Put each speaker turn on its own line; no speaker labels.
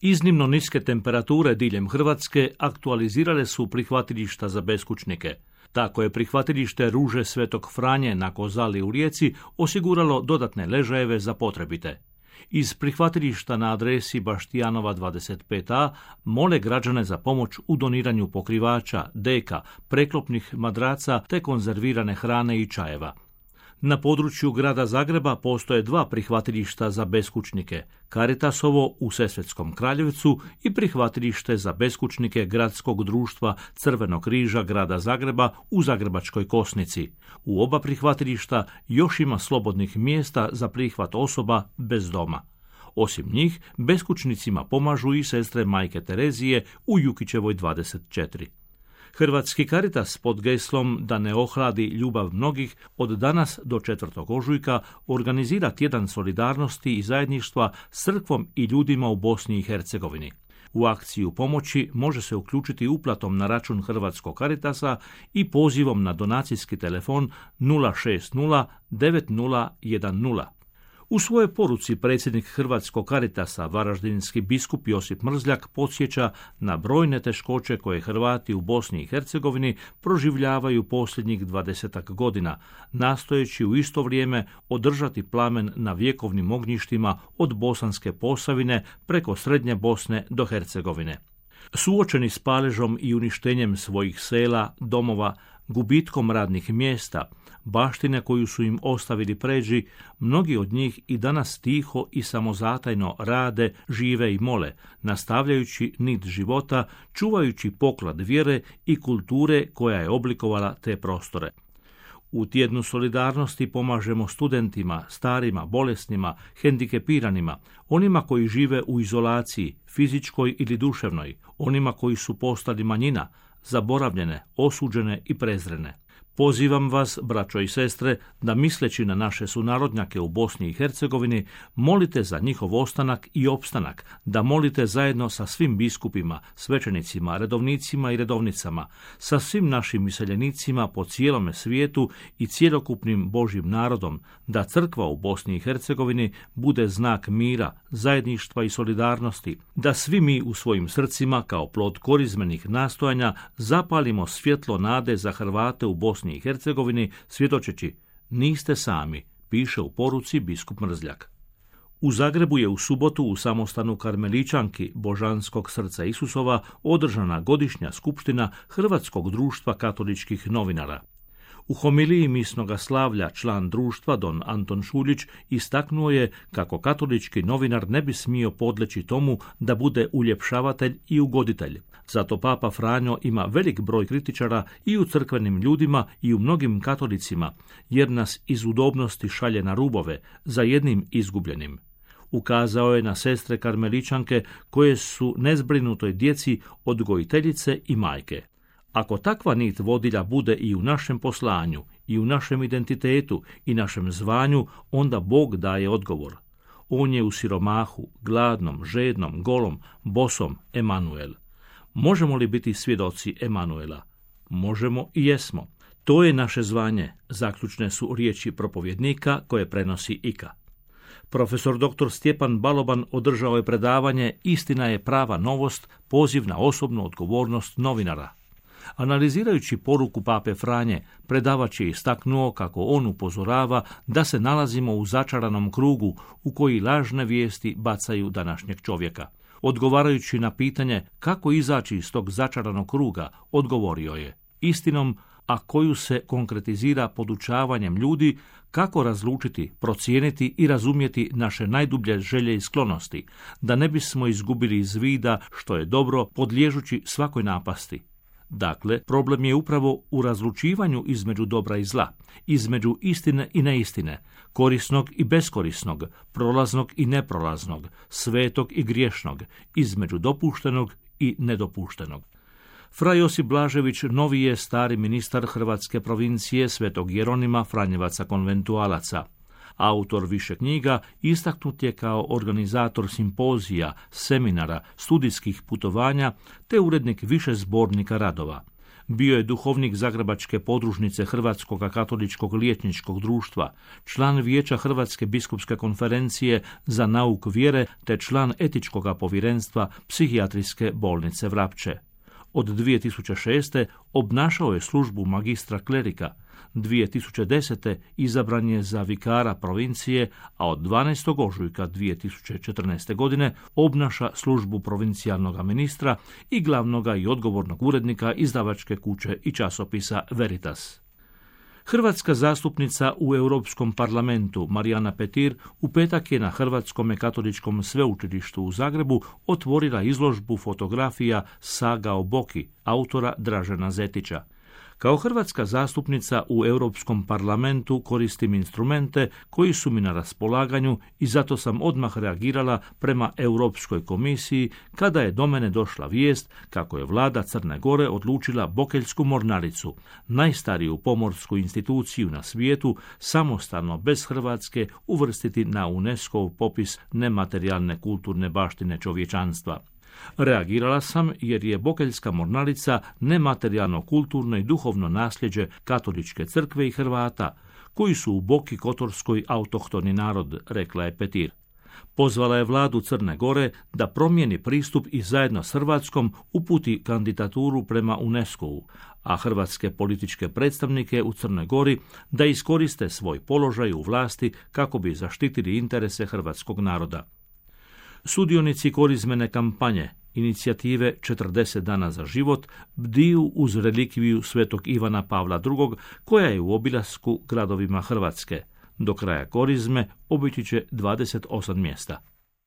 Iznimno niske temperature diljem Hrvatske aktualizirale su prihvatilišta za beskućnike. Tako je prihvatilište Ruže Svetog Franje na Kozali u Rijeci osiguralo dodatne ležajeve za potrebite. Iz prihvatilišta na adresi Baštijanova 25a mole građane za pomoć u doniranju pokrivača, deka, preklopnih madraca te konzervirane hrane i čajeva. Na području grada Zagreba postoje 2 prihvatilišta za beskućnike, Caritasovo u Sesvetskom Kraljevcu i prihvatilište za beskućnike Gradskog društva Crvenog križa grada Zagreba u Zagrebačkoj Kosnici. U oba prihvatilišta još ima slobodnih mjesta za prihvat osoba bez doma. Osim njih, beskućnicima pomažu i sestre Majke Terezije u Jukićevoj 24. Hrvatski Caritas pod geslom da ne ohladi ljubav mnogih od danas do 4. ožujka organizira tjedan solidarnosti i zajedništva s crkvom i ljudima u Bosni i Hercegovini. U akciju pomoći može se uključiti uplatom na račun Hrvatskog Caritasa i pozivom na donacijski telefon 060 9010. U svojoj poruci predsjednik Hrvatskog Caritasa, varaždinski biskup Josip Mrzljak, podsjeća na brojne teškoće koje Hrvati u Bosni i Hercegovini proživljavaju posljednjih 20 godina, nastojeći u isto vrijeme održati plamen na vjekovnim ognjištima od Bosanske Posavine preko Srednje Bosne do Hercegovine. Suočeni s paležom i uništenjem svojih sela, domova, gubitkom radnih mjesta, baštine koju su im ostavili pređi, mnogi od njih i danas tiho i samozatajno rade, žive i mole, nastavljajući nit života, čuvajući poklad vjere i kulture koja je oblikovala te prostore. U tjednu solidarnosti pomažemo studentima, starima, bolesnima, hendikepiranima, onima koji žive u izolaciji, fizičkoj ili duševnoj, onima koji su postali manjina, zaboravljene, osuđene i prezrene. Pozivam vas, braćo i sestre, da misleći na naše sunarodnjake u Bosni i Hercegovini, molite za njihov ostanak i opstanak, da molite zajedno sa svim biskupima, svećenicima, redovnicima i redovnicama, sa svim našim iseljenicima po cijelome svijetu i cjelokupnim Božjim narodom, da crkva u Bosni i Hercegovini bude znak mira, zajedništva i solidarnosti, da svi mi u svojim srcima, kao plod korizmenih nastojanja, zapalimo svjetlo nade za Hrvate u Bosni i Hercegovini, svjedočeći: niste sami, piše u poruci biskup Mrzljak. U Zagrebu je u subotu u samostanu Karmeličanki Božanskog srca Isusova održana godišnja skupština Hrvatskog društva katoličkih novinara. U homiliji misnoga slavlja član društva don Anton Šuljić istaknuo je kako katolički novinar ne bi smio podleći tomu da bude uljepšavatelj i ugoditelj. Zato Papa Franjo ima velik broj kritičara i u crkvenim ljudima i u mnogim katolicima, jer nas iz udobnosti šalje na rubove za jednim izgubljenim. Ukazao je na sestre karmeličanke koje su nezbrinutoj djeci odgojiteljice i majke. Ako takva nit vodilja bude i u našem poslanju, i u našem identitetu, i našem zvanju, onda Bog daje odgovor. On je u siromahu, gladnom, žednom, golom, bosom Emanuel. Možemo li biti svjedoci Emanuela? Možemo i jesmo. To je naše zvanje, zaključne su riječi propovjednika koje prenosi Ika. Profesor dr. Stjepan Baloban održao je predavanje Istina je prava novost, poziv na osobnu odgovornost novinara. Analizirajući poruku Pape Franje, predavač je istaknuo kako on upozorava da se nalazimo u začaranom krugu u koji lažne vijesti bacaju današnjeg čovjeka. Odgovarajući na pitanje kako izaći iz tog začaranog kruga, odgovorio je: istinom, a koju se konkretizira podučavanjem ljudi kako razlučiti, procijeniti i razumjeti naše najdublje želje i sklonosti, da ne bismo izgubili iz vida što je dobro, podliježući svakoj napasti. Dakle, problem je upravo u razlučivanju između dobra i zla, između istine i neistine, korisnog i beskorisnog, prolaznog i neprolaznog, svetog i griješnog, između dopuštenog i nedopuštenog. Fra Josip Blažević novi je stari ministar hrvatske provincije Svetog Jeronima Franjevaca konventualaca. Autor više knjiga, istaknut je kao organizator simpozija, seminara, studijskih putovanja te urednik više zbornika radova. Bio je duhovnik Zagrebačke podružnice Hrvatskog katoličkog liječničkog društva, član Vijeća Hrvatske biskupske konferencije za nauk vjere te član etičkog povjerenstva Psihijatrijske bolnice Vrapče. Od 2006. obnašao je službu magistra klerika. 2010. izabran je za vikara provincije, a od 12. ožujka 2014. godine obnaša službu provincijalnog ministra i glavnoga i odgovornog urednika izdavačke kuće i časopisa Veritas. Hrvatska zastupnica u Europskom parlamentu Marijana Petir u petak je na Hrvatskom katoličkom sveučilištu u Zagrebu otvorila izložbu fotografija Saga o Boki, autora Dražena Zetića. Kao hrvatska zastupnica u Europskom parlamentu koristim instrumente koji su mi na raspolaganju i zato sam odmah reagirala prema Europskoj komisiji kada je do mene došla vijest kako je vlada Crne Gore odlučila Bokeljsku mornaricu, najstariju pomorsku instituciju na svijetu, samostalno bez Hrvatske uvrstiti na UNESCO-ov popis nematerijalne kulturne baštine čovječanstva. Reagirala sam jer je Bokeljska mornarica nematerijalno kulturno i duhovno nasljeđe katoličke crkve i Hrvata, koji su u Boki Kotorskoj autohtoni narod, rekla je Petir. Pozvala je vladu Crne Gore da promijeni pristup i zajedno s Hrvatskom uputi kandidaturu prema UNESCO-u, a hrvatske političke predstavnike u Crnoj Gori da iskoriste svoj položaj u vlasti kako bi zaštitili interese hrvatskog naroda. Sudionici korizmene kampanje, inicijative 40 dana za život, bdiju uz relikviju svetog Ivana Pavla II, koja je u obilasku gradovima Hrvatske. Do kraja korizme obići će 28 mjesta.